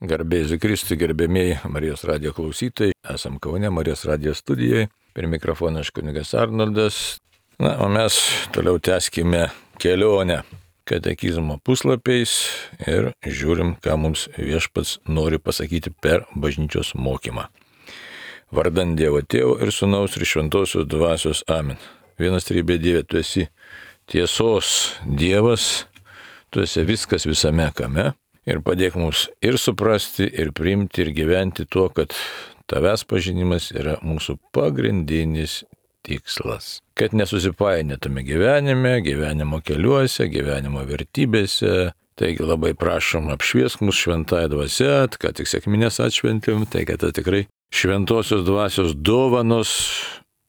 Garbėsiu Kristui, gerbėmieji Marijos radijo klausytojai. Esam Kaune Marijos radijo studijoje. Per mikrofoną aš kunigas Arnoldas. O mes toliau tęskime kelionę katekizmo puslapiais ir žiūrim, ką mums viešpats nori pasakyti per bažnyčios mokymą. Vardant Dievo Tėvo ir Sūnaus ir Šventosios Dvasios. Amen. Vienas trybė Dieve, tu esi tiesos Dievas, tu esi viskas visame kame. Ir padėk mums ir suprasti, ir priimti, ir gyventi tuo, kad tavęs pažinimas yra mūsų pagrindinis tikslas. Kad nesusipainėtume gyvenimo keliuose, gyvenimo vertybėse. Taigi labai prašom, apšviesk mus šventąją dvasią, kad tik sekmines atšventėm, tai kad tikrai šventosios dvasios dovanos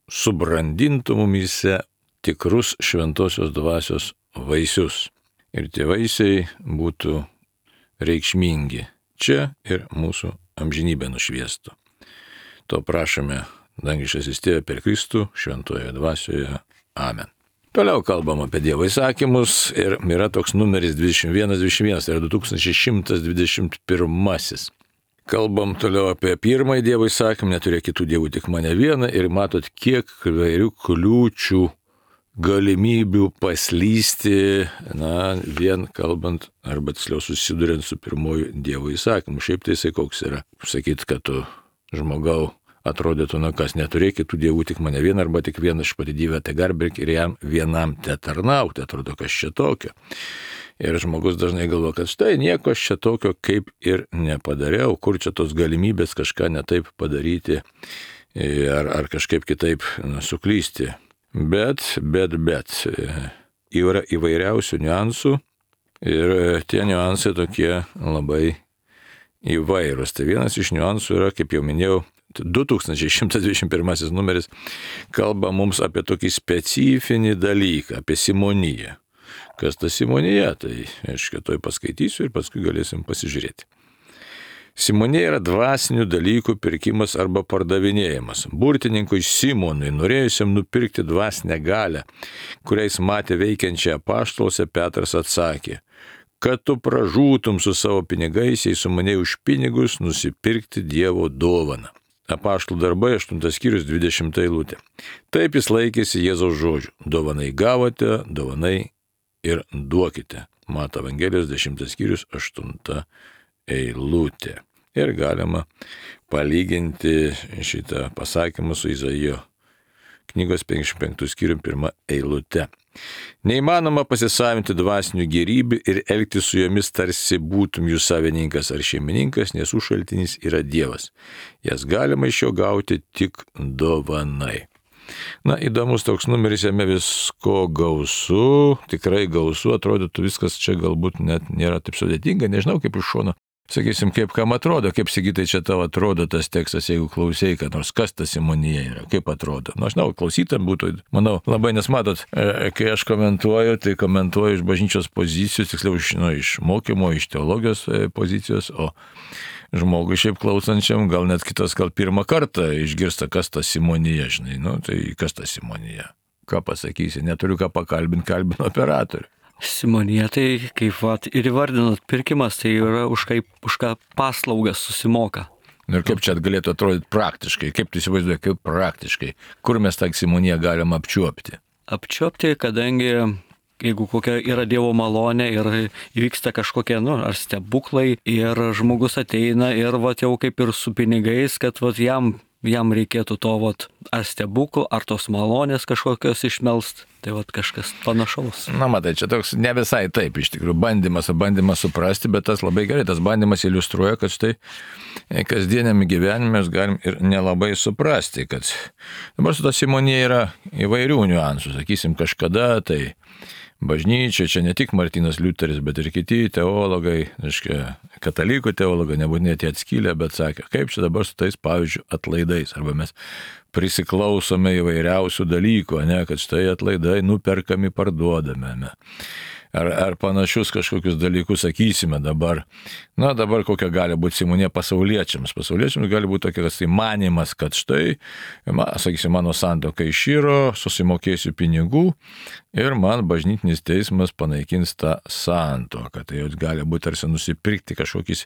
subrandintų mumyse tikrus šventosios dvasios vaisius. Ir tie vaisiai būtų reikšmingi čia ir mūsų amžinybę nušviestų. To prašome, dangiškasis Tėve, per Kristų, šventojoje dvasioje. Amen. Toliau kalbam apie Dievo įsakymus ir yra toks numeris 2121, tai yra 2121. Kalbam toliau apie pirmąjį Dievo įsakymą, neturėk kitų dievų, tik mane vieną, ir matot, kiek įvairių kliūčių, galimybių paslysti, vien kalbant, arba tiksliau susiduriant su pirmoju Dievo įsakymu. Šiaip tai jisai koks yra. Sakyt, kad tu žmogau atrodytų, kas neturėk kitų dievų, tik mane vieną, arba tik vieną iš pati Dievę te garbink ir jam vienam te tarnauti. Atrodo, kas čia tokio. Ir žmogus dažnai galvo, kad štai nieko aš čia tokio kaip ir nepadariau, kur čia tos galimybės kažką netaip padaryti ar kažkaip kitaip suklysti. Bet yra įvairiausių niuansų ir tie niuansai tokie labai įvairūs. Tai vienas iš niuansų yra, kaip jau minėjau, 2121 numeris kalba mums apie tokį specifinį dalyką, apie simoniją. Kas ta simonija? Tai aš kitoj paskaitysiu ir paskui galėsim pasižiūrėti. Simonija yra dvasinių dalykų pirkimas arba pardavinėjimas. Burtininkui Simonui, norėjusiam nupirkti dvasinę galią, kuriais matė veikiančią apaštaluose, Petras atsakė, kad tu pražūtum su savo pinigais, jei sumanei už pinigus nusipirkti Dievo dovaną. Apaštalų darbai 8 skyrius 20 eilutė. Taip jis laikėsi Jėzaus žodžių. Dovanai gavote, dovanai ir duokite. Mato Evangelijos 10 skyrius 8 eilutė. Ir galima palyginti šitą pasakymą su Izaijo knygos 55 skyrium 1 eilute. Neįmanoma pasisavinti dvasinių gėrybių ir elgtis su jomis tarsi būtum jų savininkas ar šeimininkas, nes jų šaltinis yra Dievas. Jas galima iš jo gauti tik dovanai. Įdomus toks numeris, jame visko gausu, tikrai gausu, atrodytų viskas čia galbūt net nėra taip sudėtinga, nežinau kaip iš šono. Sakysim, kaip kam atrodo, kaip Sigitai čia tau atrodo tas tekstas, jeigu klausėjai, kad nors kas ta simonija yra, kaip atrodo. Aš žinau, klausytam būtų, manau, labai, nes matot, kai aš komentuoju, tai komentuoju iš bažnyčios pozicijos, tiksliau iš mokymo, iš teologijos pozicijos, o žmogui šiaip klausančiam gal net kitas, gal pirmą kartą išgirsta, kas ta simonija, žinai, tai kas ta simonija. Ką pasakysi, neturiu ką pakalbinti, kalbinu operatorių. Simonija, tai kaip ir įvardinot, pirkimas, tai yra už ką paslaugas susimoka. Ir kaip čia galėtų atrodyti praktiškai, kaip tu įsivaizduoji, kaip praktiškai, kur mes tą simoniją galim apčiuopti? Apčiuopti, kadangi jeigu kokia yra Dievo malonė ir įvyksta kažkokie, ar stebuklai, ir žmogus ateina ir jau kaip ir su pinigais, kad jam reikėtų to ar stebuklų, ar tos malonės kažkokios išmelst. Tai kažkas panašaus. Matai, čia toks ne visai taip, iš tikrųjų, bandymas suprasti, bet tas labai gerai, tas bandymas iliustruoja, kad štai kasdieniame gyvenime mes galim ir nelabai suprasti, kad dabar su ta simonija yra įvairių niuansų, sakysim, kažkada tai bažnyčia, čia ne tik Martynas Liuteris, bet ir kiti teologai, katalikų teologai, nebūtinai tie atskylę, bet sakė, kaip čia dabar su tais, pavyzdžiui, atlaidais, arba mes prisiklausome įvairiausių dalykų, kad štai atlaidai nuperkami, parduodame. ar panašius kažkokius dalykus sakysime dabar. Na, dabar kokia gali būti simonija pasauliečiams. Pasauliečiams gali būti tokia tai manimas, kad štai, sakysim, mano santuoka iširo, susimokėsiu pinigų ir man bažnytinis teismas panaikins tą santuoką. Tai jau gali būti tarsi nusipirkti kažkokį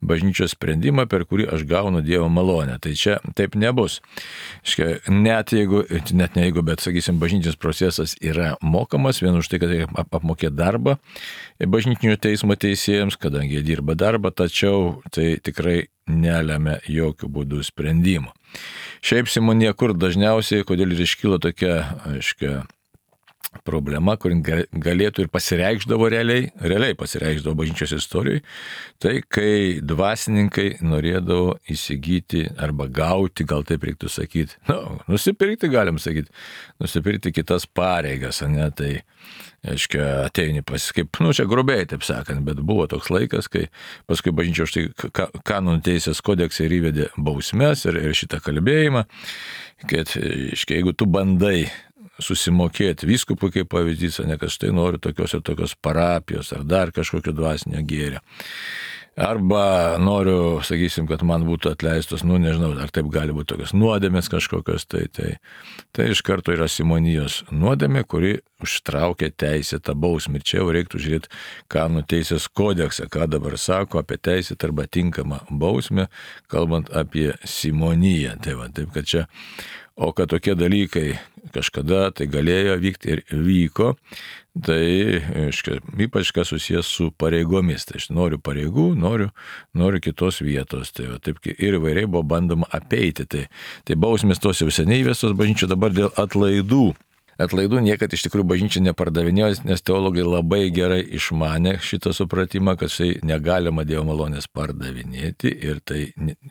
bažnyčios sprendimą, per kurį aš gaunu Dievo malonę. Tai čia taip nebus. Net ne jeigu, bet, sakysim, bažnytinis procesas yra mokamas, vien už tai, kad reikia apmokėti darbą bažnytinio teismo teisėjams, kadangi jie dirba darbą, tačiau tai tikrai nelemia jokių būdų sprendimo. Šiaip simonija kur dažniausiai, kodėl ir iškyla tokia, problema, kur galėtų ir pasireikšdavo realiai pasireikšdavo bažnyčios istorijoje, tai kai dvasininkai norėdavo įsigyti arba gauti, gal taip reiktų sakyti, nusipirkti galim sakyti, nusipirkti kitas pareigas, ne, tai, ateini kaip, čia grubiai taip sakant, bet buvo toks laikas, kai paskui bažnyčia už tai kanonų teisės kodeksai ir įvedė bausmes ir šitą kalbėjimą, kad, jeigu tu bandai susimokėti vyskupui kaip pavyzdys, ne kad štai noriu tokios ir tokios parapijos ar dar kažkokio dvasinio gėrio. Arba noriu, sakysim, kad man būtų atleistos, nežinau, ar taip gali būti tokios nuodėmės kažkokios, tai iš karto yra simonijos nuodėmė, kuri užtraukia teisėtą bausmę. Ir čia jau reiktų žiūrėti kanonų teisės kodeksą, ką dabar sako apie teisėtą arba tinkamą bausmę, kalbant apie simoniją. Taip kad čia, o kad tokie dalykai kažkada tai galėjo vykti ir vyko, tai ypač kas susijęs su pareigomis. Tai aš noriu pareigų, noriu kitos vietos. Tai taip ir įvairiai buvo bandoma apeiti. Tai bausmės tos jau seniai įvestos bažnyčio, dabar dėl atlaidų. Atlaidų niekad iš tikrųjų bažnyčia nepardavinėjo, nes teologai labai gerai išmanė šitą supratimą, kad štai negalima Dievo malonės pardavinėti ir tai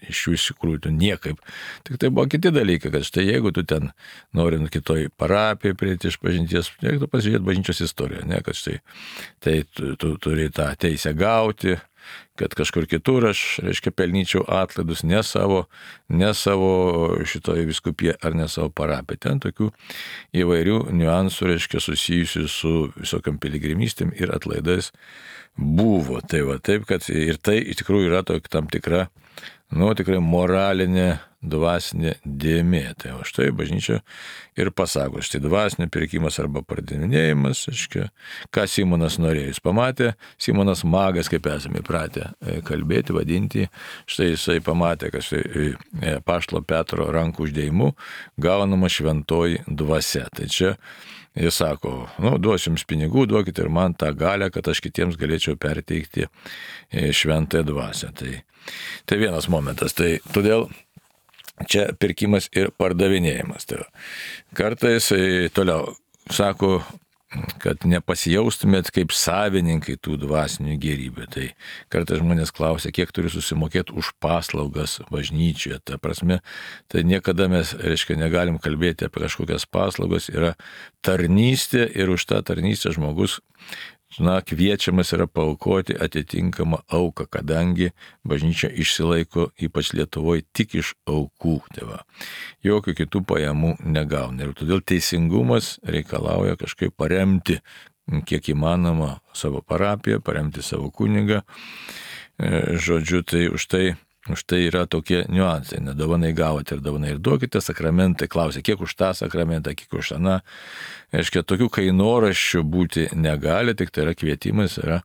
iš jų iš tikrųjų niekaip. Tik tai buvo kiti dalykai, kad štai jeigu tu ten nori kitoj parapijai prieiti iš pažinties, reiktų pasižiūrėti bažnyčios istoriją, ne, kad štai tai tu turi tą teisę gauti, kad kažkur kitur aš, pelnyčiau atlaidus ne savo šitoje vyskupije ar ne savo parapiją. Ten tokių įvairių niuansų, susijusių su visokiam piligrimystėm ir atlaidais buvo. Taip, kad ir tai iš tikrųjų yra tam tikra, tikrai moralinė, dvasinė dėmė. Tai o štai bažnyčia ir pasako, štai dvasinio pirkimas arba pardavinėjimas, ką Simonas norėjo. Jis pamatė, Simonas magas, kaip esame įpratę kalbėti, vadinti, štai jisai pamatė, kad štai apaštalo Petro rankų uždėjimu gaunama šventoji dvasia. Tai čia jis sako, duosiu jums pinigų, duokite ir man tą galią, kad aš kitiems galėčiau perteikti šventąją dvasią. Tai vienas momentas. Tai todėl čia pirkimas ir pardavinėjimas. Tai kartais toliau sako, kad nepasijaustumėt kaip savininkai tų dvasinių gėrybių. Tai kartais žmonės klausia, kiek turi susimokėti už paslaugas bažnyčioje. Ta prasme, tai niekada mes, negalim kalbėti apie kažkokias paslaugas, yra tarnystė ir už tą tarnystę žmogus kviečiamas yra paaukoti atitinkamą auką, kadangi bažnyčia išsilaiko, ypač Lietuvoje, tik iš aukų. Jokių kitų pajamų negauna. Ir todėl teisingumas reikalauja kažkaip paremti, kiek įmanoma, savo parapiją, paremti savo kunigą. Žodžiu, tai už tai yra tokie niuansai. Dovanai gavote ir dovanai ir duokite, sakramentai klausia, kiek už tą sakramentą, kiek už aną. Tokių kainoraščių būti negali, tik tai yra kvietimas, yra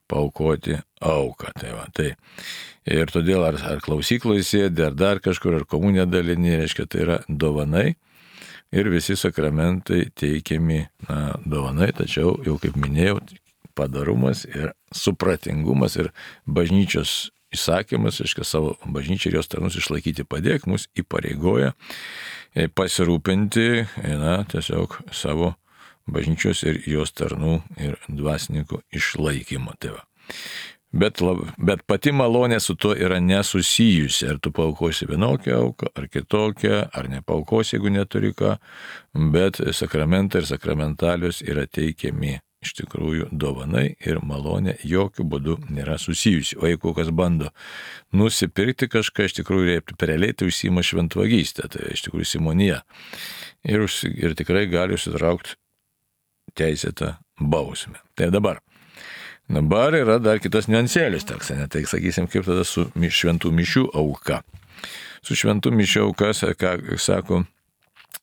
paaukoti auką. Tai. Ir todėl ar klausykloje sėdi, ar dar kažkur, ar komuniją dalini, tai yra dovanai. Ir visi sakramentai teikiami dovanai, tačiau jau kaip minėjau, padarumas ir supratingumas ir bažnyčios įsakymas, savo bažnyčią ir jos tarnus išlaikyti padėk, mus įpareigoja pasirūpinti tiesiog savo bažnyčios ir jos tarnų ir dvasininkų išlaikymo. Bet pati malonė su tuo yra nesusijusi, ar tu paaukosi vienokią auką, ar kitokią, ar nepaukosi, jeigu neturi ką, bet sakramentai ir sakramentalius yra teikiami. Iš tikrųjų, dovanai ir malonė jokių būdų nėra susijusi. O jeigu kas bando nusipirkti kažką, iš tikrųjų realiai tai užsiima šventvagystę, tai iš tikrųjų simonija. Ir tikrai gali užsitraukti teisėtą bausmę. Tai dabar, Dabar yra dar kitas niuansėlis toks, ne? Tai sakysim, kaip tada su šventų mišių auka. Su šventų mišių auka, ką sako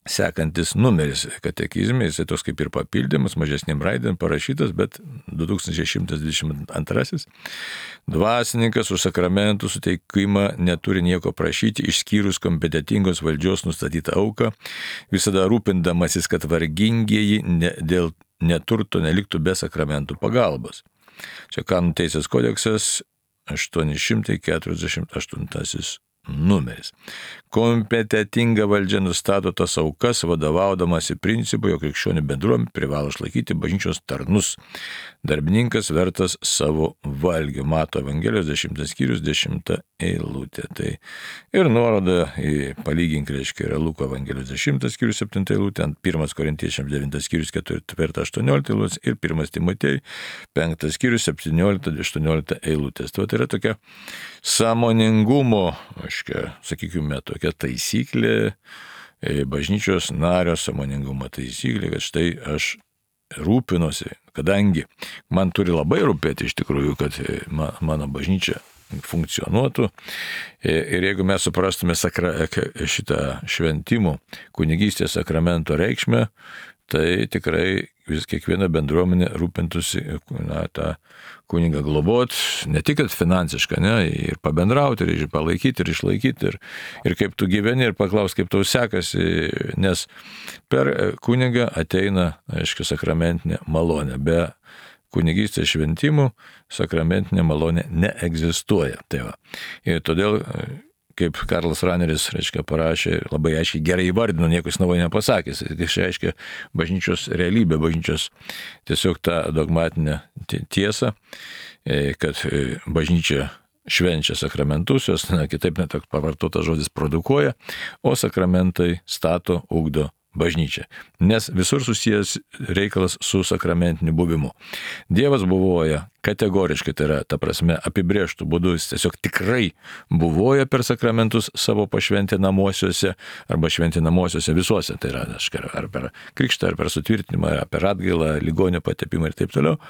sekantis numeris katekizme, jisai toks kaip ir papildymas, mažesnėm raidėm parašytas, bet 2122. Dvasininkas už sakramentų suteikimą neturi nieko prašyti, išskyrus kompetentingos valdžios nustatytą auką, visada rūpindamasis, kad vargingieji dėl neturto neliktų be sakramentų pagalbos. Čia Kanonų teisės kodeksas 848 numeris. Kompetentinga valdžia nustato tas aukas, vadovaudamasi principu, jog krikščionių bendruomenė privalo išlaikyti bažnyčios tarnus. Darbininkas vertas savo valgio. Mato Evangelijos 10 skyrius 10 eilutė. Tai ir nuoroda į palygink, reiškia, yra Luko Evangelijos 10 skyrius 7 eilutė, 1 Korintiečiams 9 skyrius 4-18 eilutės ir 1 Timotejui 5 skyrius 17-18 eilutės. Tai yra tokia sąmoningumo, sakykime, tokia taisyklė, bažnyčios nario sąmoningumo taisyklė, kad štai aš rūpinosi, kadangi man turi labai rūpėti iš tikrųjų, kad mano bažnyčia funkcionuotų. Ir jeigu mes suprastume šitą šventimų kunigystės sakramento reikšmę, tai tikrai kiekviena bendruomenė rūpintųsi tą kunigą globot, ne tik finansiškai, ne, ir pabendrauti, ir palaikyti, ir išlaikyti, ir kaip tu gyveni, ir paklaus, kaip tau sekasi, nes per kunigą ateina, aiškiai, sakramentinė malonė. Be kunigystės šventimų sakramentinė malonė neegzistuoja. Tai va. Ir todėl, kaip Karlas Raneris, reiškia, parašė, labai aiškiai gerai įvardino, nieko jis naujo nepasakęs. Tai reiškia bažnyčios realybė, bažnyčios tiesiog tą dogmatinę tiesą, kad bažnyčia švenčia sakramentus, jos, kitaip net pavartotas žodis produkuoja, o sakramentai stato, ugdo bažnyčia. Nes visur susijęs reikalas su sakramentiniu buvimu. Dievas buvoja kategoriškai, tai yra, ta prasme, apibrėžtų būdų, jis tiesiog tikrai buvoja per sakramentus savo pašventinamuosiuose arba šventinamuosiuose visuose. Tai yra, ar per krikštą, ar per sutvirtinimą, ar per atgailą, ligonio patepimą ir taip toliau.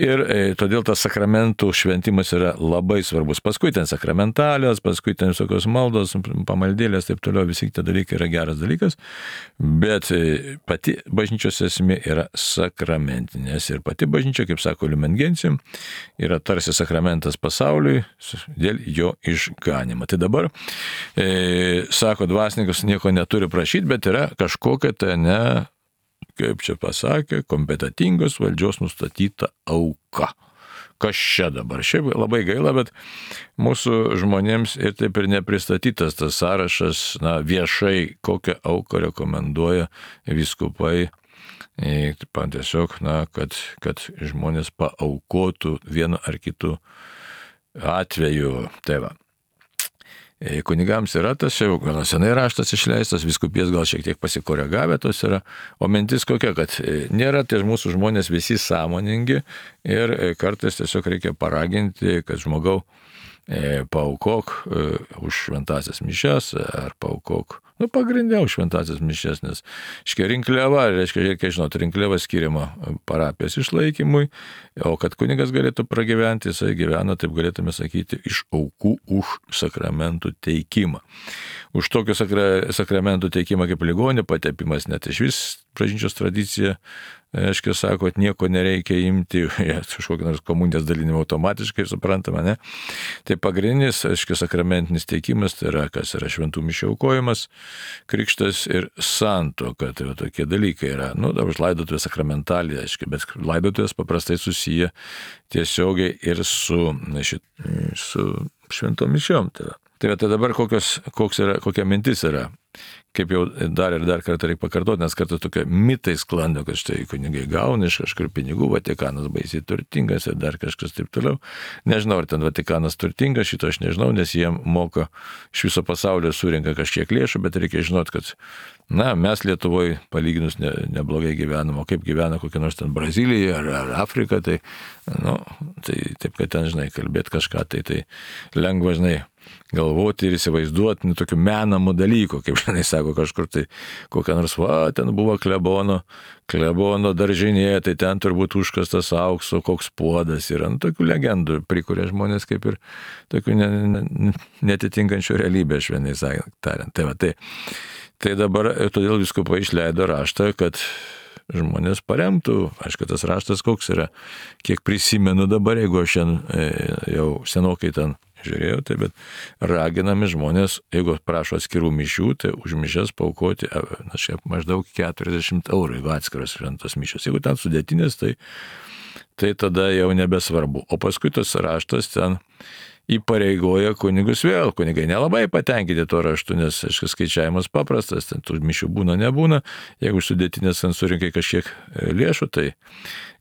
Ir todėl tas sakramentų šventimas yra labai svarbus. Paskui ten sakramentalijos, paskui ten visokios maldos, pamaldėlės, taip toliau, visi tie dalykai yra geras dalykas, bet pati bažnyčios esmė yra sakramentinės. Ir pati bažnyčia, kaip sako Lumen Gentium, yra tarsi sakramentas pasauliui dėl jo išganimo. Tai dabar, sako dvasininkas, nieko neturi prašyti, bet yra kažkokia tai kaip čia pasakė, kompetentingos valdžios nustatyta auka. Kas čia dabar? Šiaip labai gaila, bet mūsų žmonėms ir taip ir nepristatytas tas sąrašas, viešai, kokią auką rekomenduoja vyskupai, tiesiog, kad žmonės paaukotų vienu ar kitu atveju. Tai va. Kunigams yra tas, jau gana senai raštas išleistas, vyskupijas gal šiek tiek pasikoregavę tos yra, o mintis kokia, kad nėra tie mūsų žmonės visi sąmoningi ir kartais tiesiog reikia paraginti, kad žmogau paaukok už šventasias mišias ar paaukok, pagrindė už šventasias mišias, nes rinkliava, reiškia, žinot, rinkliava skiriama parapijos išlaikymui, o kad kunigas galėtų pragyventi, jisai gyvena, taip galėtume sakyti, iš aukų už sakramentų teikimą. Už tokio sakramentų teikimą kaip ligonio patepimas, net iš vis bažnyčios tradicija, aiškiai sako, kad nieko nereikia imti, kažkokį nors komunijos dalinimą automatiškai, suprantama, ne? Tai pagrindinis, aiškiai, sakramentinis teikimas, tai yra, kas yra šventų mišių aukojimas, krikštas ir santuoka, tai tokie dalykai yra. Dabar laidotuvės sakramentalija, aiškiai, bet laidotuvės paprastai susiję tiesiogiai ir su šventom mišiom. Tai dabar kokia mintis yra, kaip jau dar ir dar kartą reikia pakartoti, nes kartais tokie mitai sklando, kad štai kunigai gauna iš kažkur pinigų, Vatikanas baisiai turtingas ir dar kažkas taip toliau. Nežinau, ar ten Vatikanas turtingas, šito aš nežinau, nes jie moka iš viso pasaulio surinka kažkiek lėšų, bet reikia žinoti, kad mes Lietuvoje palyginus neblogai gyvenam, o kaip gyvena kokia nors ten Brazilija ar Afrika, tai taip, kad ten, kalbėti kažką, tai lengva, galvoti ir įsivaizduoti tokių menamų dalykų, kaip žinai sako kažkur tai, kokia nors, ten buvo klebono daržinė, tai ten turbūt užkastas aukso, koks puodas yra. Tokių legendų prikuria žmonės kaip ir tokių netitinkančių realybę, švelniai tariant. Tai dabar todėl vyskupai išleido raštą, kad žmonės paremtų. Aišku, tas raštas koks yra, kiek prisimenu dabar, jeigu aš jau senokai ten žiūrėjau, tai bet raginami žmonės, jeigu prašo atskirų mišių, tai už mišias paaukoti maždaug 40 €, jeigu atskiros šventos mišios. Jeigu ten sudėtinės, tai tada jau nebesvarbu. O paskui tas raštas ten įpareigoja kunigus vėl. Kunigai nelabai patenkinti to raštu, nes skaičiavimas paprastas, ten tų mišių būna, nebūna. Jeigu sudėtinės ten surinkai kažkiek lėšų, tai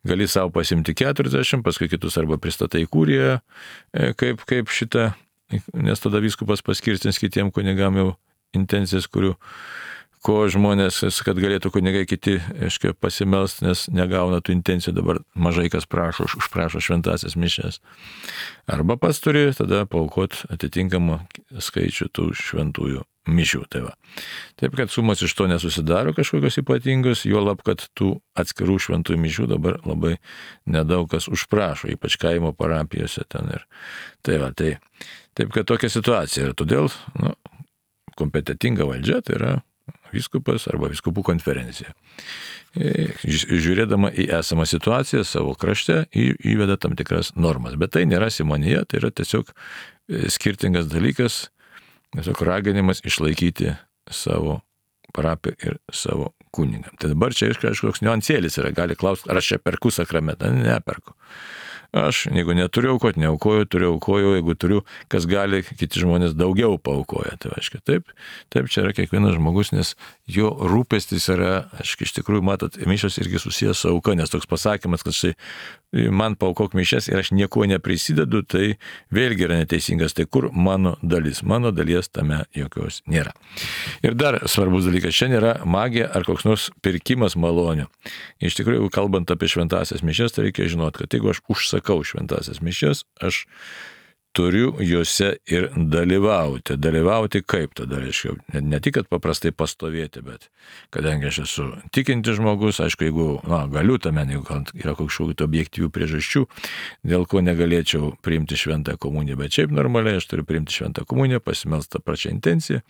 gali savo pasimti 40, paskui kitus arba pristatai kūriją, kaip šitą, nes tada vyskupas paskirstins kitiem kunigam jau intencijas, ko žmonės, kad galėtų kunigai kiti pasimelst, nes negauna tų intencijų, dabar mažai kas užprašo šventasias mišias. Arba pats turi tada paaukoti atitinkamą skaičių tų šventųjų mišių. Taip, kad sumos iš to nesusidaro kažkokios ypatingos, juolab, kad tų atskirų šventųjų mišių dabar labai nedaug kas užprašo, ypač kaimo parapijose ten ir. Taip, kad tokia situacija. Ir todėl kompetentinga valdžia, tai yra vyskupas arba vyskupų konferencija. Žiūrėdama į esamą situaciją savo krašte, įveda tam tikras normas. Bet tai nėra simonija, tai yra tiesiog skirtingas dalykas, tiesiog raginimas išlaikyti savo parapiją ir savo kunigą. Tai dabar čia kažkoks niuansėlis yra, gali klausti, ar aš čia perku sakramentą, neperku. Aš, jeigu neturiu aukoti, neaukoju, turiu aukoju, jeigu turiu, kas gali, kiti žmonės daugiau paaukoja. Tai aiškiai, taip čia yra kiekvienas žmogus, nes jo rūpestis yra, aiškiai, iš tikrųjų, matot, mišios irgi susijęs su auka, nes toks pasakymas, kad štai man paaukok mišias ir aš nieko neprisidedu, tai vėlgi yra neteisingas. Tai kur mano dalis? Mano dalies tame jokios nėra. Ir dar svarbus dalykas, čia nėra magija ar koks nors pirkimas malonių. Iš tikrųjų, kalbant apie šventasias mišias, tai reikia žinoti, kad jeigu aš užsakau šventasias mišias, aš turiu juose ir dalyvauti. Dalyvauti kaip tada, reiškia, ne tik, kad paprastai pastovėti, bet kadangi aš esu tikintis žmogus, aišku, jeigu galiu tame, jeigu yra kažkokių objektyvių priežasčių, dėl ko negalėčiau priimti šventą komuniją, bet šiaip normaliai aš turiu priimti šventą komuniją, pasimelst tą pačią intenciją,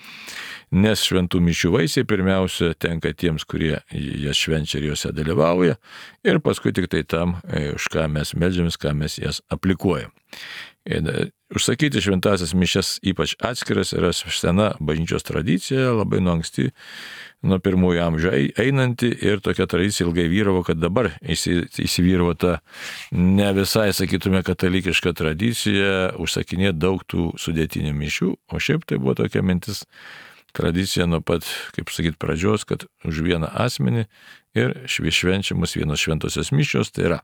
nes šventų mišių vaisiai pirmiausia tenka tiems, kurie jas švenčia ir juose dalyvauja, ir paskui tik tai tam, už ką mes meldžiamės, ką mes jas aplikuojam. Užsakyti šventasias mišias ypač atskiras yra sena bažnyčios tradicija, labai nuo anksti, nuo pirmųjų amžių einanti, ir tokia tradicija ilgai vyravo, kad dabar įsivyravo ta ne visai, sakytume, katalikiška tradicija užsakinėti daug tų sudėtinių mišių, o šiaip tai buvo tokia mintis, tradicija nuo pat, kaip sakyti, pradžios, kad už vieną asmenį ir švenčiamus vienos šventosios mišios, tai yra.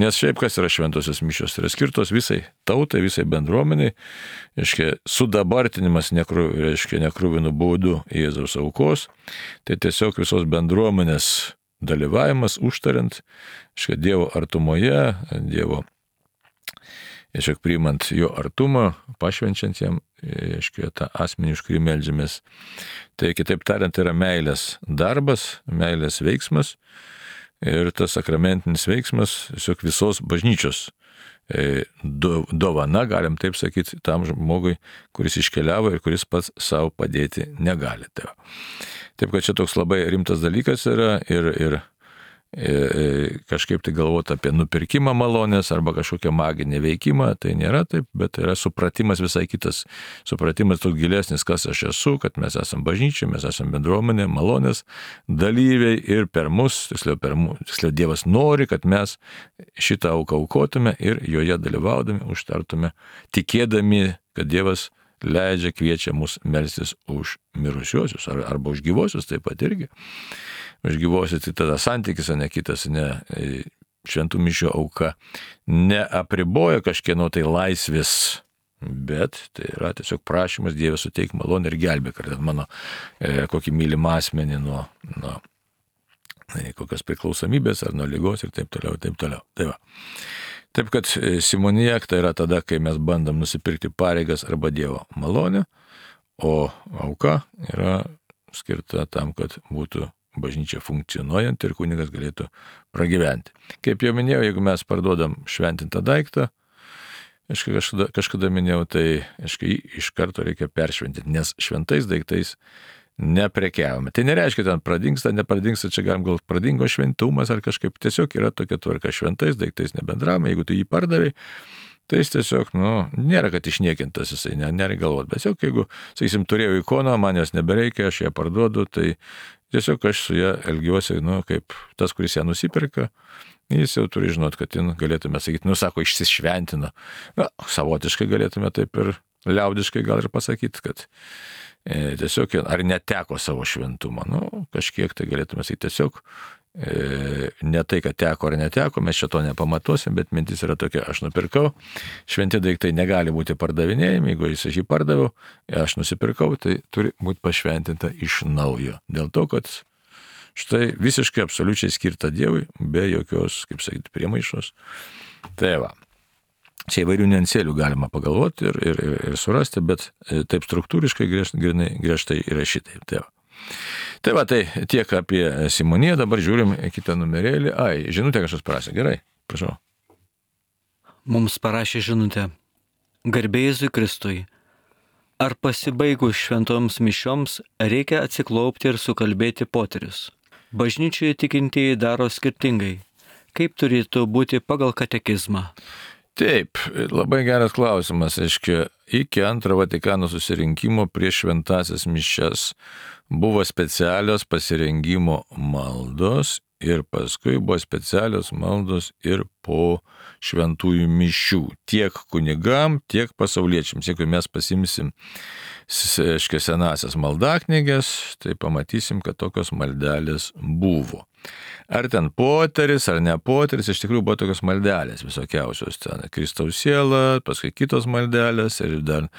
Nes šiaip kas yra šventosios mišios, tai yra skirtos visai tautai, visai bendruomeniai, reiškia, sudabartinimas nekruvinu būdu Jėzaus aukos, tai tiesiog visos bendruomenės dalyvavimas, užtariant, reiškia, Dievo artumoje, Dievo, reiškia, priimant jo artumą, pašvenčiant jam, reiškia, tą asmenį, už kurį meldžiamės. Tai kitaip tariant, yra meilės darbas, meilės veiksmas, ir tas sakramentinis veiksmas tiesiog visos bažnyčios dovana, galim taip sakyti, tam žmogui, kuris iškeliavo ir kuris pats savo padėti negali. Taip, kad čia toks labai rimtas dalykas yra, ir kažkaip tai galvoti apie nupirkimą malonės arba kažkokią maginį veikimą, tai nėra taip, bet yra supratimas visai kitas. Supratimas toks gilesnis, kas aš esu, kad mes esame bažnyčia, mes esame bendruomenė, malonės dalyviai, ir per mus, tiksliau Dievas nori, kad mes šitą auką aukotume ir joje dalyvaudami užtartume, tikėdami, kad Dievas leidžia, kviečia mus melstis už mirusiuosius arba už gyvosius taip pat irgi. Už gyvosius, tai tada santykis, o ne kitas, ne šventų mišių auka neapriboja kažkieno tai laisvės, bet tai yra tiesiog prašymas Dievas suteik malonę ir gelbėk, ar mano kokį mylimą asmenį nuo kokios priklausomybės ar nuo ligos ir taip toliau, taip toliau. Taip kad simonija tai yra tada, kai mes bandom nusipirkti pareigas arba Dievo malonę, o auka yra skirta tam, kad būtų bažnyčia funkcionuojant ir kunigas galėtų pragyventi. Kaip jau minėjau, jeigu mes parduodam šventintą daiktą, kažkada minėjau, tai iš karto reikia peršventinti, nes šventais daiktais neprekiavome. Tai nereiškia, ten pradingsta, nepradingsta, čia galim gal pradingo šventumas ar kažkaip, tiesiog yra tokia tvarka, šventais daiktais nebendravome, jeigu tu jį pardavai, tai jis tiesiog, nėra, kad išniekintas jisai, nereikia galvoti, bet tiesiog jeigu, sakysim, turėjau ikoną, man jos nebereikia, aš ją parduodu, tai tiesiog aš su ją elgiuosi, kaip tas, kuris ją nusipirka, jis jau turi žinot, kad galėtume sakyti, sako, išsišventino. Savotiškai galėtume taip ir liaudiškai gal ir pasakyti, kad tiesiog ar neteko savo šventumo. Kažkiek tai galėtume sakyti tiesiog, ne tai, kad teko ar neteko, mes šito nepamatuosim, bet mintis yra tokia, aš nupirkau, šventi daiktai negali būti pardavinėjami, jeigu jis jį pardaviau, aš nusipirkau, tai turi būti pašventinta iš naujo. Dėl to, kad štai visiškai absoliučiai skirta Dievui, be jokios, kaip sakyti, priemaišos. Tai va. Čia įvairių niuansėlių galima pagalvoti ir surasti, bet taip struktūriškai griežtai yra šitai. Tai va, tai tiek apie simoniją, dabar žiūrim kitą numerėlį. Žinutė kažkas parašė, gerai, prašau. Mums parašė žinutė. Garbė Jėzui Kristui. Ar pasibaigus šventoms mišioms reikia atsiklaupti ir sukalbėti poterius? Bažnyčioje tikintieji daro skirtingai. Kaip turėtų būti pagal katekizmą? Taip, labai geras klausimas. Iki Antro Vatikano susirinkimo prieš šventąsias mišias buvo specialios pasirengimo maldos ir paskui buvo specialios maldos ir po šventųjų mišių. Tiek kunigam, tiek pasauliečiams. Jeigu mes pasimsim senasias maldaknygės, tai pamatysim, kad tokios maldelės buvo. Ar ten poteris, ar ne poteris, iš tikrųjų buvo tokios maldelės visokiausios. Ten Kristaus siela, paskui kitos maldelės ir dar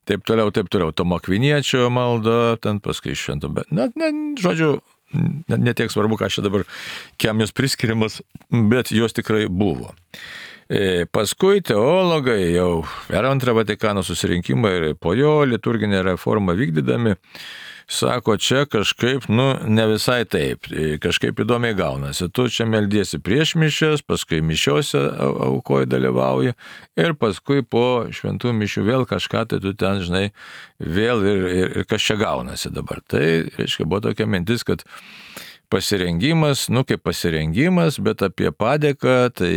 taip toliau. Tomo Akviniečio malda, ten paskui švento, bet žodžiu, netiek svarbu, ką čia dabar, kiam jos priskiriamas, bet jos tikrai buvo. Paskui teologai jau per Antrą Vatikano susirinkimą ir po jo liturginę reformą vykdydami, sako, čia kažkaip, ne visai taip, kažkaip įdomiai gaunasi. Tu čia meldiesi prieš mišias, paskui mišiose aukoji dalyvauji ir paskui po šventų mišių vėl kažką, tai tu ten, žinai, vėl ir kas čia gaunasi dabar. Tai, reiškia, buvo tokia mintis, kad pasirengimas, kaip pasirengimas, bet apie padėką, tai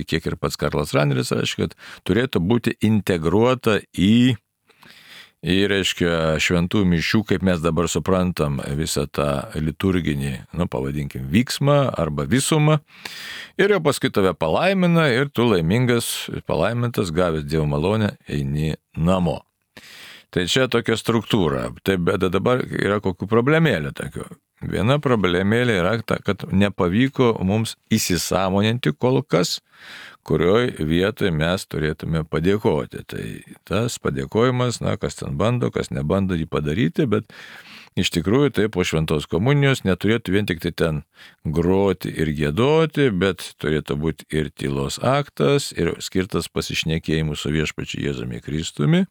kiek ir pats Karlas Raneris, reiškia, kad turėtų būti integruota į, reiškia, šventų mišių, kaip mes dabar suprantam visą tą liturginį, pavadinkim, vyksmą arba visumą. Ir jau paskui tave palaimina ir tu laimingas, palaimintas, gavęs Dievo malonę, eini namo. Tai čia tokia struktūra. Tai bet dabar yra kokių problemėlių tokių. Viena problemėlė yra ta, kad nepavyko mums įsisąmoninti kol kas, kurioj vietoje mes turėtume padėkoti. Tai tas padėkojimas, kas ten bando, kas nebando jį padaryti, bet iš tikrųjų tai po šventos komunijos neturėtų vien tik tai ten groti ir giedoti, bet turėtų būti ir tylos aktas, ir skirtas pasišnekėjimui su viešpačiu Jėzumi Kristumi.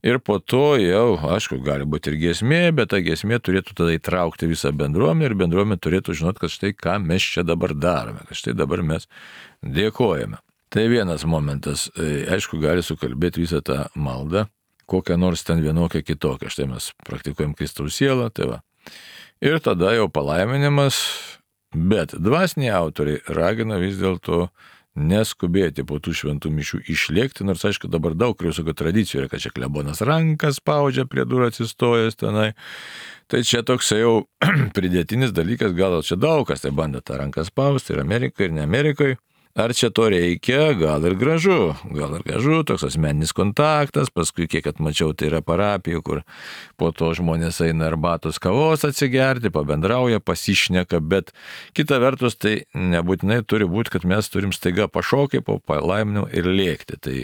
Ir po to jau, aišku, gali būti ir giesmė, bet ta giesmė turėtų tada įtraukti visą bendruomenę ir bendruomenė turėtų žinot, kad štai ką mes čia dabar darome, kad štai dabar mes dėkojame. Tai vienas momentas, aišku, gali sukalbėti visą tą maldą, kokią nors ten vienokią kitokią. Štai mes praktikuojam Kristaus sielą, tai va. Ir tada jau palaiminimas, bet dvasiniai autoriai ragina vis dėlto neskubėti po tų šventų mišių išlėkti, nors aišku dabar daug visokių tradicijų yra, kad čia klebonas rankas spaudžia prie durų atsistojęs tenai. Tai čia toks jau pridėtinis dalykas, gal čia daug kas tai bando tą ranką spausti ir Amerikai, ir ne Amerikai. Ar čia to reikia? Gal ir gražu, toks asmeninis kontaktas, paskui kiek atmačiau, tai yra parapijų, kur po to žmonės eina arbatos kavos atsigerti, pabendrauja, pasišneka, bet kita vertus tai nebūtinai turi būti, kad mes turim staiga pašokti po palaiminimo ir lėkti. Tai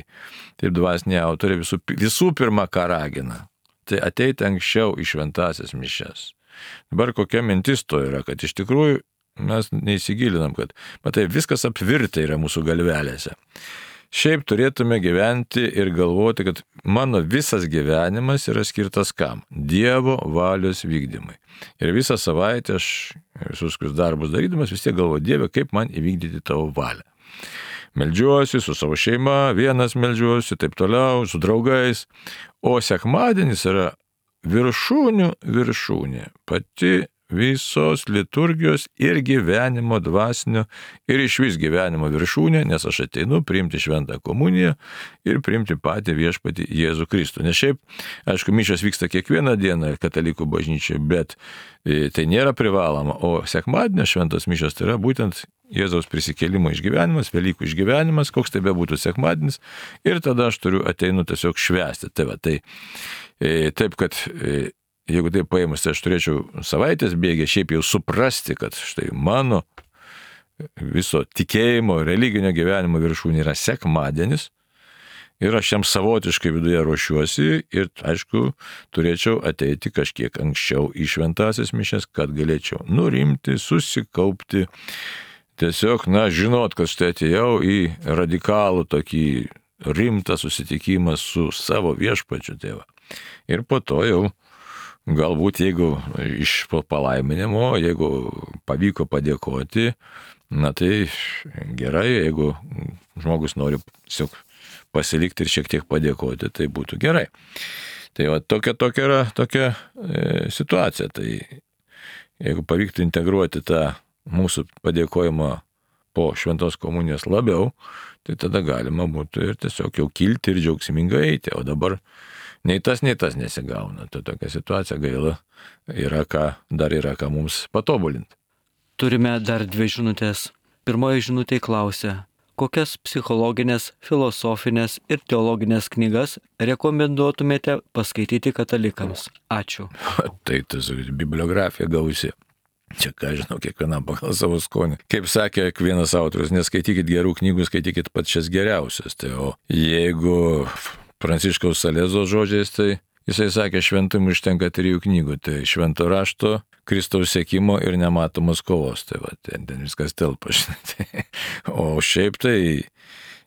taip dvasiniai autoriai visų pirma ką ragina, tai ateiti anksčiau į šventąsias mišias. Dabar kokia mintis to yra, kad iš tikrųjų mes neįsigilinam, kad, matai, viskas apvirtę yra mūsų galvelėse. Šiaip turėtume gyventi ir galvoti, kad mano visas gyvenimas yra skirtas kam? Dievo valios vykdymai. Ir visą savaitę aš visus darbus darydamas vis tiek galvoju, Dieve, kaip man įvykdyti tavo valią. Meldžiuosi su savo šeima, vienas meldžiuosi, taip toliau, su draugais. O sekmadienis yra viršūnė, pati visos liturgijos ir gyvenimo dvasinio ir išvis gyvenimo viršūnė, nes aš ateinu priimti šventą komuniją ir priimti patį viešpatį Jėzų Kristų. Nes šiaip, aišku, mišios vyksta kiekvieną dieną katalikų bažnyčioje, bet tai nėra privaloma, o sekmadienio šventos mišios tai yra būtent Jėzaus prisikėlimo išgyvenimas, Velykų išgyvenimas, koks tai bebūtų sekmadienis, ir tada aš ateinu tiesiog švęsti. Taip, kad jeigu tai paėmus, tai aš turėčiau savaitės bėgę šiaip jau suprasti, kad štai mano viso tikėjimo, religinio gyvenimo viršūnė yra sekmadienis ir aš jam savotiškai viduje ruošiuosi ir, aišku, turėčiau ateiti kažkiek anksčiau į šventąsias mišias, kad galėčiau nurimti, susikaupti, tiesiog, žinot, kad štai atėjau į radikalų tokį rimtą susitikimą su savo viešpačiu tėvą. Ir po to jau galbūt, jeigu iš palaiminimo, jeigu pavyko padėkoti, tai gerai, jeigu žmogus nori tiesiog pasilikti ir šiek tiek padėkoti, tai būtų gerai. Tai tokia yra situacija. Tai jeigu pavyktų integruoti tą mūsų padėkojimą po šventos komunijos labiau, tai tada galima būtų ir tiesiog jau kilti ir džiaugsmingai eiti, o dabar nei tas nesigauna. Tai tokia situacija gaila, dar yra ką mums patobulinti. Turime dar 2 žinutės. Pirmoji žinutė klausia, kokias psichologinės, filosofinės ir teologinės knygas rekomenduotumėte paskaityti katalikams? Ačiū. Tai bibliografija gausi. Čia, ką žinau, kiekvienam pagal savo skonį. Kaip sakė vienas autorius, neskaitykit gerų knygų, skaitykit pačias geriausias. Tai o jeigu Pranciškaus Salezo žodžiais, tai jisai sakė, šventumui užtenka 3 knygų, tai švento rašto, Kristaus sekimo ir nematomos kovos. Tai ten viskas telpa, žinai. O šiaip tai,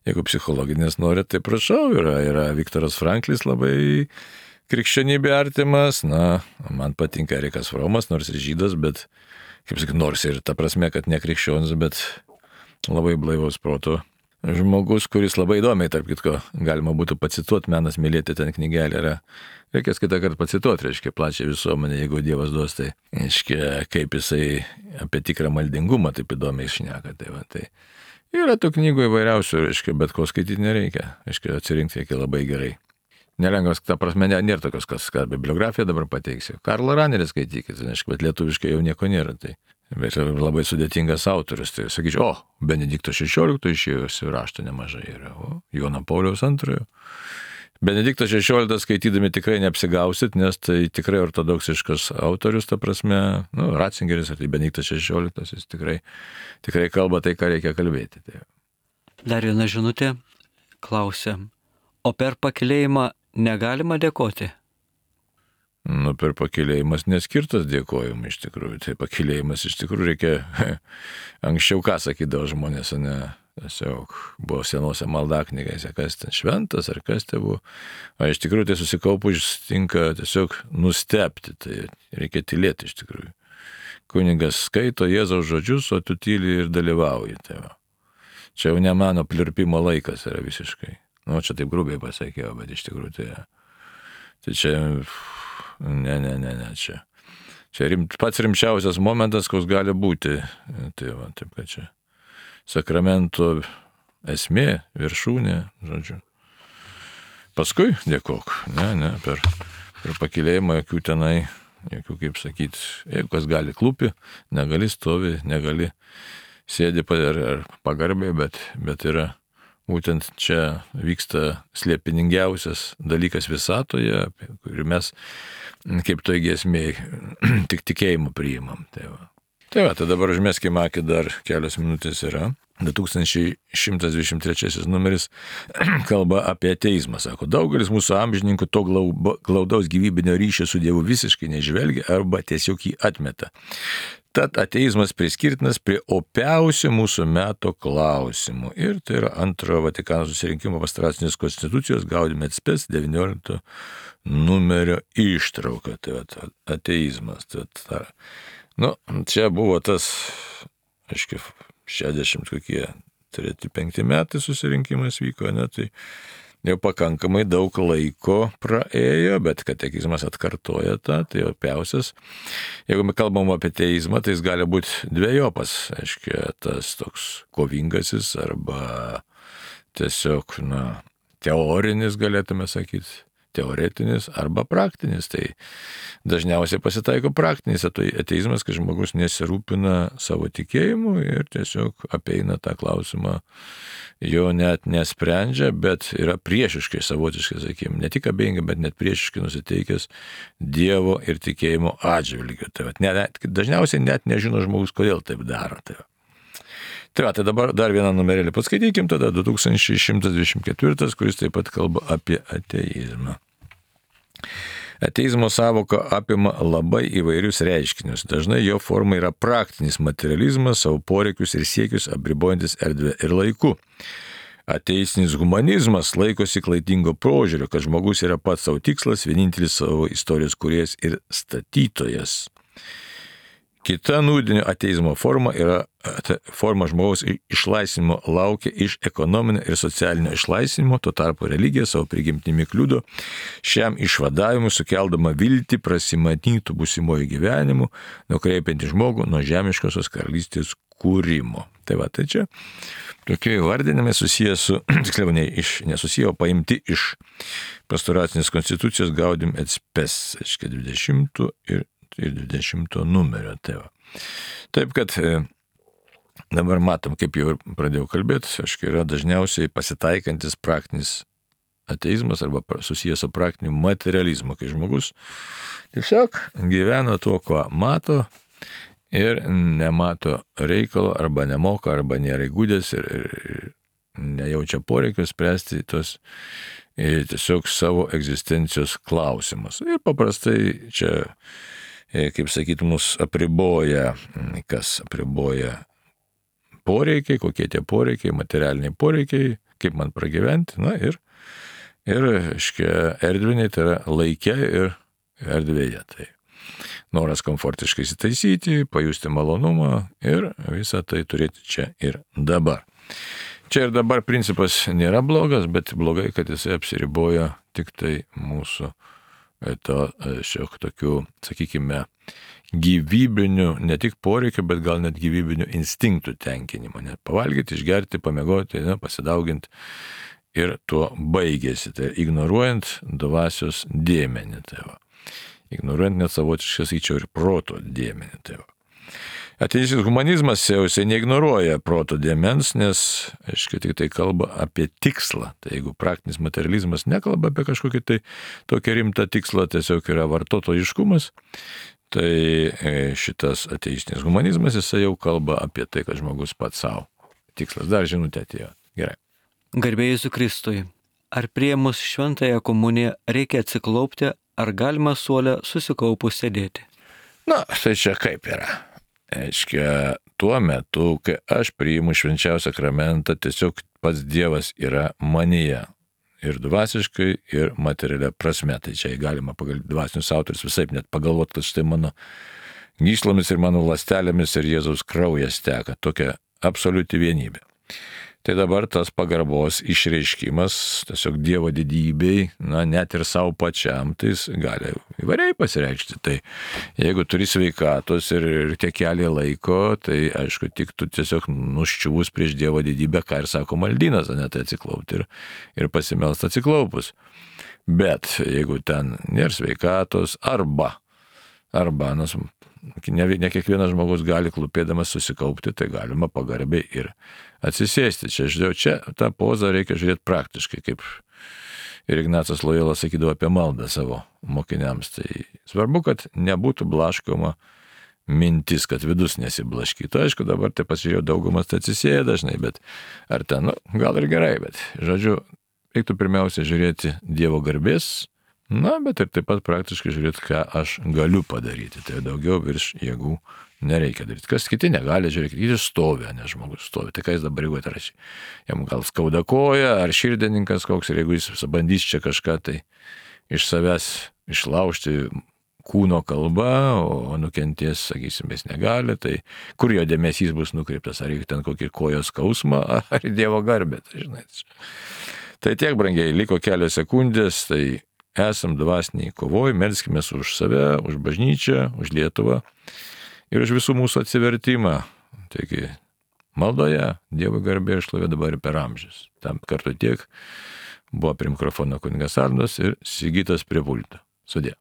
jeigu psichologinės norit, tai prašau, yra Viktoras Franklis labai krikščionybė artimas, man patinka Erikas Fromas, nors ir žydas, bet, kaip sakyt, nors ir ta prasme, kad ne krikščionis, bet labai blaivaus proto žmogus, kuris labai įdomiai, tarp kitko, galima būtų pacituoti, Menas mylėti, ten knygelė yra. Reikės kitą kartą pacituoti, reiškia, plačią visuomenę, jeigu Dievas duos, tai, reiškia, kaip jisai apie tikrą maldingumą taip įdomiai šneka. Tai yra tų knygų įvairiausių, reiškia, bet ko skaityti nereikia, reiškia, atsirinkti reikia labai gerai. Nelengvas, ta prasme, nėra tokios, kad bibliografiją dabar pateiksiu. Karlą Ranerį skaitykit, reiškia, bet lietuviškai jau nieko nėra. Bet labai sudėtingas autorius, tai sakyčiau, Benedikto XVI išėjusių raštų nemažai yra, Jono Pauliaus II. Benediktas XVI skaitydami tikrai neapsigausit, nes tai tikrai ortodoksiškas autorius, ta prasme, Ratzingeris, ar tai Benediktas XVI, jis tikrai kalba tai, ką reikia kalbėti. Dar viena žinutė klausia, o per pakylėjimą negalima dėkoti? Per pakylėjimas neskirtas dėkojimui iš tikrųjų. Tai pakylėjimas iš tikrųjų reikia anksčiau ką sakydavo žmonės, tiesiog buvo senose maldaknygėse, kas ten šventas ar kas tai buvo. O iš tikrųjų tai susikaupus tinka tiesiog nustebti, tai reikia tylėti iš tikrųjų. Kunigas skaito Jėzaus žodžius, o tu tyli ir dalyvauji. Tai čia jau ne mano pliurpimo laikas yra visiškai. Čia taip grubiai pasakiau, bet iš tikrųjų tai čia... Ne, čia pats rimčiausias momentas, koks gali būti. Taip, kad čia sakramento esmė, viršūnė, žodžiu. Paskui dėkok. Per pakylėjimą jokių tenai, kaip sakyti, jeigu kas gali klupi, negali stovi, negali sėdi ar pagarbiai, bet yra būtent čia vyksta slėpiningiausias dalykas visatoje, kurį mes, kaip toj giesmėj, tik tikėjimu priimam. Tai dabar užmeskime akį, dar kelios minutės yra. 2123 numeris kalba apie ateizmą. Sako, daugelis mūsų amžininkų to glaudaus gyvybinio ryšio su Dievu visiškai nežvelgia arba tiesiog jį atmeta. Tad ateizmas priskirtinas prie opiausių mūsų meto klausimų. Ir tai yra Antrojo Vatikano susirinkimo pastoracinės konstitucijos Gaudium et Spes 19 numerio ištrauka. Tai ateizmas. Čia buvo tas, aiškiai, 63-65 metai susirinkimas vyko, tai jau pakankamai daug laiko praėjo, bet katekizmas atkartoja tą, tai opiausias. Jeigu mes kalbam apie ateizmą, tai jis gali būti dvejopas, aiškiai, tas toks kovingasis arba tiesiog, teorinis, galėtume sakyti, teoretinis arba praktinis. Tai dažniausiai pasitaiko praktinis ateizmas, kai žmogus nesirūpina savo tikėjimu ir tiesiog apeina tą klausimą, jo net nesprendžia, bet yra priešiškai, savotiškai, sakykime, ne tik abejingai, bet net priešiškai nusiteikęs Dievo ir tikėjimo atžvilgiu. Tai dažniausiai net nežino žmogus, kodėl taip daro. Tai dabar dar vieną numerėlį paskaitykim, tada 2124, kuris taip pat kalba apie ateizmą. Ateizmo savoka apima labai įvairius reiškinius. Dažnai jo forma yra praktinis materializmas, savo poreikius ir siekius apribojantis erdvę ir laiku. Ateistinis humanizmas laikosi klaidingo požiūrio, kad žmogus yra pats savo tikslas, vienintelis savo istorijos kūrėjas ir statytojas. Kita nūdinio ateizmo forma yra forma žmogaus išlaisvinimo laukia iš ekonominio ir socialinio išlaisvinimo, tuo tarpu religija savo prigimtimi kliudo šiam išvadavimui, sukeldama viltį prasimatytų būsimojų gyvenimų, nukreipiantį žmogų nuo žemiškosios karalystės kūrimo. Tai čia tokie įvardinimai susiję su, tiksliau nesusiję, o paimti iš pastoracinės konstitucijos Gaudium et Spes, 20 ir 20 numerio. Taip kad dabar matom, kaip jau pradėjau kalbėti, yra dažniausiai pasitaikantis praktinis ateizmas arba susijęs su praktiniu materializmu, kai žmogus tiesiog gyvena tuo, ko mato ir nemato reikalo arba nemoka, arba nėra įgūdęs ir nejaučia poreikio spręsti tos tiesiog savo egzistencijos klausimus. Ir paprastai čia, kaip sakyti, mus apriboja, kas apriboja poreikiai, kokie tie poreikiai, materialiniai poreikiai, kaip man pragyventi, ir erdviniai, tai yra laike ir erdvėje. Tai noras komfortiškai įsitaisyti, pajusti malonumą ir visą tai turėti čia ir dabar. Čia ir dabar principas nėra blogas, bet blogai, kad jisai apsiriboja tik tai mūsų šiek tokių, sakykime, gyvybinių, ne tik poreikių, bet gal net gyvybinių instinktų tenkinimo. Net pavalgyti, išgerti, pamiegoti, pasidauginti ir tuo baigėsi. Tai ignoruojant dvasios dėmenį. Ignoruojant net savotiškai, sakyčiau, ir proto dėmenį. Ateistinis humanizmas jau neignoruoja proto dėmens, nes, tik tai kalba apie tikslą. Tai jeigu praktinis materializmas nekalba apie kažkokį tai tokį rimtą tikslą, tiesiog yra vartotojiškumas, tai šitas ateistinis humanizmas, jisai jau kalba apie tai, kad žmogus pats savo tikslas. Dar žinutė atėjo. Gerai. Garbė Jėzui Kristui. Ar priėmus šventąją komuniją reikia atsiklaupti, ar galima suole susikaupus sėdėti? Tai čia kaip yra. Tuo metu, kai aš priimu švenčiausią sakramentą, tiesiog pats Dievas yra manyje. Ir dvasiškai, ir materialia prasme. Tai čia galima pagal dvasinius autorius visaip net pagalvoti, kad štai mano gyslomis ir mano ląstelėmis ir Jėzaus kraujas teka. Tokia absoliuti vienybė. Tai dabar tas pagarbos išreiškimas tiesiog Dievo didybei, net ir savo pačiam, tai jis gali įvairiai pasireikšti. Tai jeigu turi sveikatos ir tiek kelią laiko, tai aišku, tik tu tiesiog nuščiuvus prieš Dievo didybę, ką ir sako maldynas, tai atsiklaupti ir pasimelst atsiklaupus. Bet jeigu ten nėra sveikatos arba, ne kiekvienas žmogus gali klūpėdamas susikaupti, tai galima pagarbiai ir atsisėsti. Čia tą pozą reikia žiūrėti praktiškai, kaip ir Ignacas Lojola sakydavo apie maldą savo mokiniams. Tai svarbu, kad nebūtų blaškoma mintis, kad vidus nesiblaškytų. Aišku, dabar tai pasižiūrėjau, daugumas tai atsisėja dažnai, bet ar ten, gal ir gerai, bet reiktų pirmiausia žiūrėti Dievo garbės, bet ir taip pat praktiškai žiūrėti, ką aš galiu padaryti. Tai daugiau virš jėgų nereikia daryti. Kas kiti negali, žiūrėkit, jis stovi, ne žmogus stovi. Tai ką jis dabar jeigu atrašy? Jam gal skauda koja, ar širdininkas koks, ir jeigu jis bandys čia kažką tai iš savęs išlaužti kūno kalba, o nukenties, sakysim, jis negali, tai kur jo dėmesys bus nukreiptas, ar į ten kokį kojos skausmą, ar į Dievo garbę, tai žinai. Tai tiek, brangiai, liko kelios sekundės, tai esam dvasiniai kovoj, melskime už save, už bažnyčią, už Lietuvą ir už visų mūsų atsivertimą. Taigi, maldoje Dievo garbė ir šlovė dabar ir per amžius. Tam kartu tiek buvo prie mikrofono kunigas Arnoldas ir Sigitas prie pulto. Sudie.